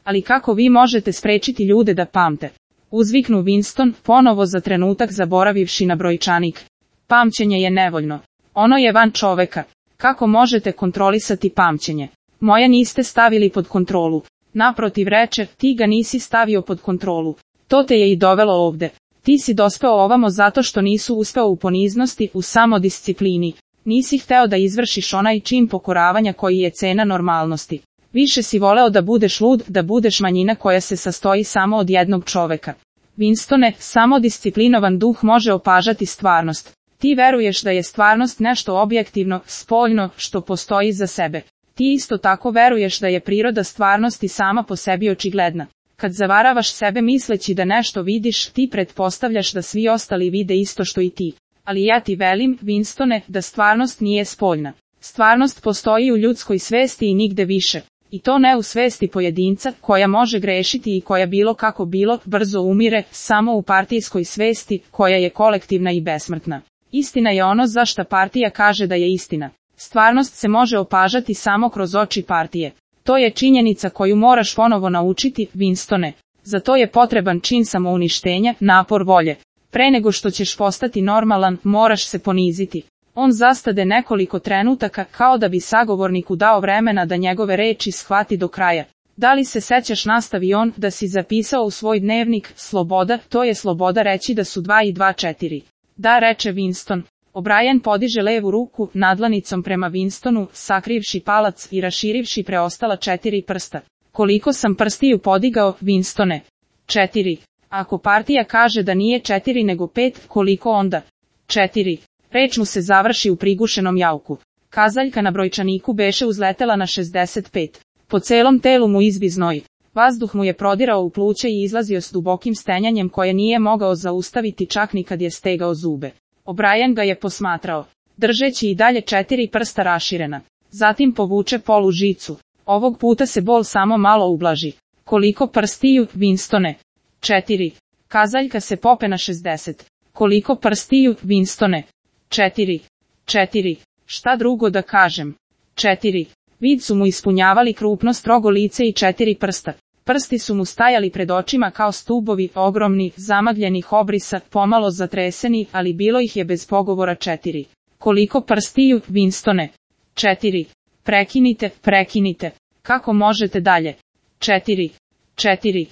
Ali kako vi možete sprečiti ljude da pamte? Uzviknu Winston, ponovo za trenutak zaboravivši na brojčanik. Pamćenje je nevoljno. Ono je van čoveka. Kako možete kontrolisati pamćenje? Moja niste stavili pod kontrolu. Naprotiv reče, ti ga nisi stavio pod kontrolu. To te je i dovelo ovde. Ti si dospeo ovamo zato što nisu uspeo u poniznosti, u samodisciplini. Nisi hteo da izvršiš onaj čin pokoravanja koji je cena normalnosti. Više si voleo da budeš lud, da budeš manjina koja se sastoji samo od jednog čoveka. Winstone, samodisciplinovan duh može opažati stvarnost. Ti veruješ da je stvarnost nešto objektivno, spoljno, što postoji za sebe. Ti isto tako veruješ da je priroda stvarnosti sama po sebi očigledna. Kad zavaravaš sebe misleći da nešto vidiš, ti pretpostavljaš da svi ostali vide isto što i ti. Ali ja ti velim, Winstone, da stvarnost nije spoljna. Stvarnost postoji u ljudskoj svesti i nigde više. I to ne u svesti pojedinca, koja može grešiti i koja bilo kako bilo, brzo umire, samo u partijskoj svesti, koja je kolektivna i besmrtna. Istina je ono za šta partija kaže da je istina. Stvarnost se može opažati samo kroz oči partije. To je činjenica koju moraš ponovo naučiti, Winstone. Za to je potreban čin samouništenja, napor volje. Pre nego što ćeš postati normalan, moraš se poniziti. On zastade nekoliko trenutaka kao da bi sagovorniku dao vremena da njegove reči shvati do kraja. Da li se sećaš, nastavi on, da si zapisao u svoj dnevnik, sloboda, to je sloboda reći da su 2 i 2 4. Da, reče Winston. O'Brien podiže levu ruku nadlanicom prema Winstonu, sakrivši palac i raširivši preostala 4 prsta. Koliko sam prstiju podigao, Winstone? 4. Ako partija kaže da nije 4 nego 5, koliko onda? 4. Reč mu se završi u prigušenom jauku. Kazaljka na brojčaniku beše uzletela na 65. Po celom telu mu izbi znoj. Vazduh mu je prodirao u pluća i izlazio s dubokim stenjanjem koje nije mogao zaustaviti čak ni kad je stegao zube. O'Brien ga je posmatrao, držeći i dalje 4 prsta raširena. Zatim povuče polu žicu. Ovog puta se bol samo malo ublaži. Koliko prstiju, Winstone? 4. Kazaljka se pope na 60. Koliko prstiju, Winstone? 4. 4. Šta drugo da kažem? 4. Vid su mu ispunjavali krupno strogo lice i 4 prsta. Prsti su mu stajali pred očima kao stubovi, ogromni, zamagljenih obrisa, pomalo zatreseni, ali bilo ih je bez pogovora 4. Koliko prstiju, Winstone? 4. Prekinite, prekinite. Kako možete dalje? 4. 4.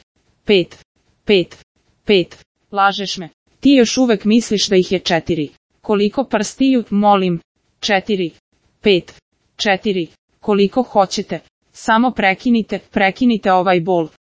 5. 5. 5. Lažeš me. Ti još uvek misliš da ih je 4. Koliko prstiju, molim? 4. 5. 4. Koliko hoćete. Samo prekinite, prekinite ovaj bol.